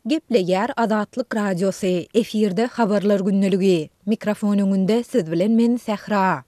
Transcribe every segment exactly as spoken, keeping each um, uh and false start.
Gepleýär Azatlyk Radiosy, efirde Habarlar gündeligi. Mikrofon öňünde siz bilen men Sähra.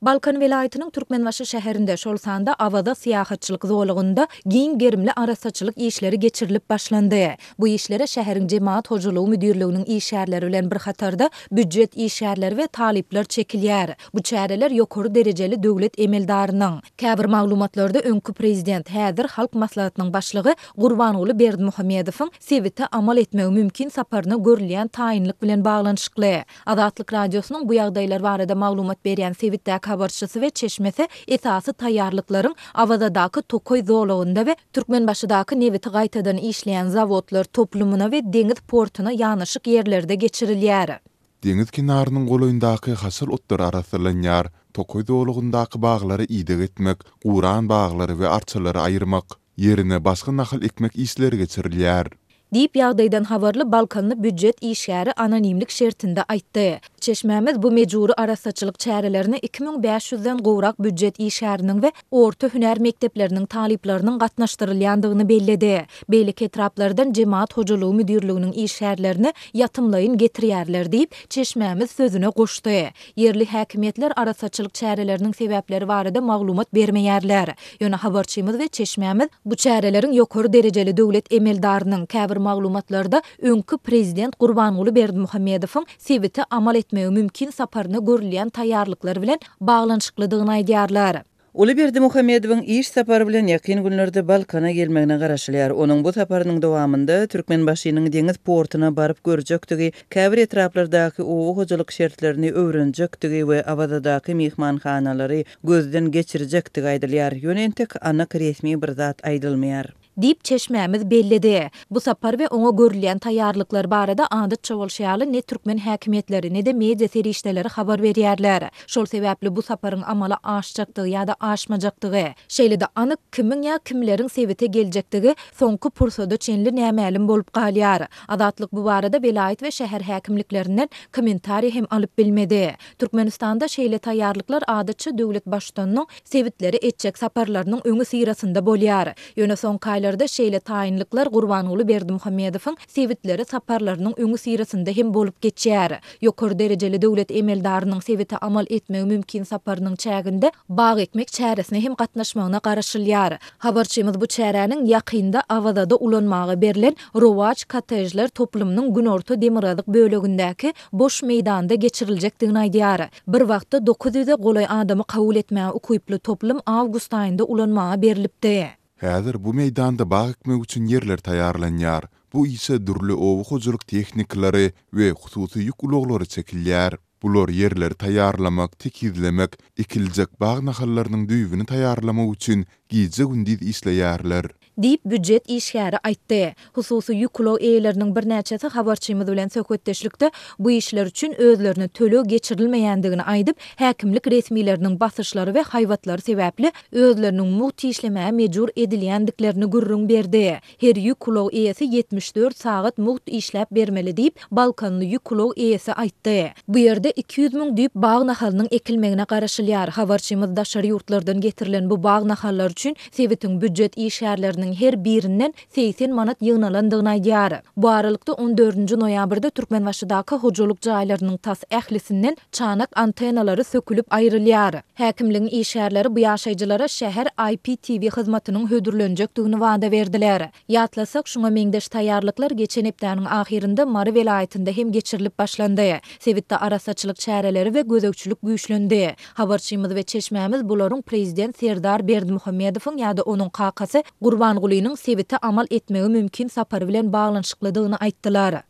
Balkan welaýatynyň Türkmenbaşy şäherinde, şol sanda Awaza syýahatçylyk zolagynda giň gerimli arassaçylyk işleri geçirilip başlandy. Bu işlere şäheriň Jemagat hojalygy müdirliginiň işgärleri bilen bir hatarda býujet işgärleri we talyplar çekilýär. Bu çäreler ýokary derejeli döwlet emeldarynyň, käbir maglumatlarda öňki prezident, häzir Halk Maslahatynyň başlygy Gurbanguly Berdimuhamedowyň sebite amal etmegi mümkin saparyna görülýän taýynlyk bilen baglanyşykly. Azatlyk Radiosynyň bu ýagdaýlar barada maglumat berýän sebitdäki habarçysy we çeşmesi esasy taýýarlyklaryň Awazadaky tokaý zolagynda we Türkmenbaşydaky nebiti gaýtadan işleýän zawodlar toplumyna we deňiz portuna ýanaşyk ýerlerde geçirilýär. Deňiz kenarynyň golaýyndaky haşal otlar arassalanýar, tokaý zolagyndaky baglara ideg etmek, guran baglary we arçalary aýyrmak, ýerine başga nahal ekmek işleri geçirilýär. Diýip, ýagdaýdan habarly balkanly býujet işgäri anonimlik şertinde aýtdy. Çeşmämiz bu mejbury arassaçylyk çärelerine iki müň bäş ýüzden gowrak býujet işgäriniň we orta hünär mekdepleriniň talyplarynyň gatnaşdyrylýandygyny belledi. Beýleki etraplardan Jemagat hojalygy müdirliginiň işgärlerini ýatymlaýyn getirýärler diýip, çeşmämiz sözüne goşdy. Ýerli häkimiýetler arassaçylyk çäreleriniň sebäpleri barada maglumat bermeýärler. Ýöne habarçymyz we çeşmämiz bu çäreleriň ýokary derejeli döwlet emeldarynyň, käbir maglumatlarda öňki prezident Gurbanguly Berdimuhamedowyň sebite amal etmegi mümkin saparyna görülýän taýýarlyklar bilen baglanyşyklydygyny aýdýarlar. Uly Berdimuhamedowyň iş sapary bilen ýakyn günlerde Balkana gelmegine garaşylýar. Onuň bu saparynyň dowamynda Türkmenbaşynyň deňiz portuna baryp görjekdigi, käbir etraplardaky oba hojalyk şertlerini öwrenjekdigi we Awazadaky myhmanhanalary gözden geçirjekdigi aýdylýar. Ýöne entek anyk resmi bir zat aýdylmaýar. Diýip, çeşmämiz belledi. Bu sapar we oňa görülýän taýýarlyklar barada adatça bolşy ýaly ne türkmen häkimiýetleri, ne-de media serişdeleri habar berýärler. Şol sebäpli bu saparyň amala aşjakdygy ýa-da aşmajakdygy, şeýle-de anyk kimiň ýa kimleriň sebite geljekdigi soňky pursada çenli nämälim bolup galýar. Azatlyk bu barada welaýat we şäher häkimliklerinden kommentariý hem alyp bilmedi. Türkmenistanda şeýle taýýarlyklar adatça döwlet Baştutanynyň sebitlere etjek saparlarynyň öňüsyrasynda bolýar. Ýöne soňky aýlarda şeýle taýynlyklar Gurbanguly Berdimuhamedowyň sebitlere saparlarynyň öňüsyrasynda hem bolup geçýär. Ýokary derejeli döwlet emeldarynyň sebite amal etmegi mümkin saparynyň çäginde bag ekmek çäresine hem gatnaşmagyna garaşylýar. Habarçymyz bu çäräniň ýakynda Awazada ulanmaga berlen Rowaç kottejler toplumynyň günorta-demirgazyk bölegindäki boş meýdanda geçiriljekdigini aýdýar. Bir wagtda dokuz ýüze golaý adamy kabul etmäge ukyply toplum awgust aýynda ulanmaga berlipdi. Häzir bu meýdanda bag ekmek üçin ýerler taýýarlanýar. Bu işe dürli oba hojalyk tehnikalary we hususy ýük ulaglary çekilýär. Bular ýerleri taýýarlamak, tekizlemek, ekiljek bag nahallarynyň düýbüni taýýarlamak üçin gije-gündiz işleýärler. Diýip, býujet işgäri aýtdy. Hususy ýük ulag eýeleriniň birnäçesi habarçymyz bilen söhbetdeşlikde bu işler üçin özlerine töleg geçirilmeýändigini aýdyp, häkimlik resmileriniň basyşlary we haýbatlary sebäpli özleriniň mugt işlemäge mejbur edilýändiklerini gürrüň berdi. Her ýük ulag eýesi ýetmiş dört sagat mugt işläp bermeli diýip, balkanly ýük ulag eýesi aýtdy. Bu ýerde iki ýüz müň düýp bag nahalynyň ekilmegine garaşylýar. Habarçymyz daşary ýurtlardan getirilen bu bag nahallary üçin sebitiň býujet işgärleriniň her birinden segsen manat ýygnalandygyny aýdýar. Bu aralykda, on dördünji noýabrda Türkmenbaşydaky hojalyk jaýlarynyň tas ählisinden çanak antennalary sökülip aýrylýar. Häkimligiň işgärleri bu ýaşaýjylara şäher I P T V hyzmatynyň hödürlenjekdigini wada berdiler. Ýatlasak, şuňa meňzeş taýýarlyklar geçen hepdäniň ahyrynda Mary welaýatynda hem geçirilip başlandy. Sebitde arassaçylyk çäreleri we gözegçilik güýçlendi. Habarçymyz we çeşmämiz bularyň prezident Serdar Berdimuhamedowyň ýa-da onuň kakasy Gurbangulynyň sebite amal etmegi mümkin sapary bilen baglanyşyklydygyny aýtdylar.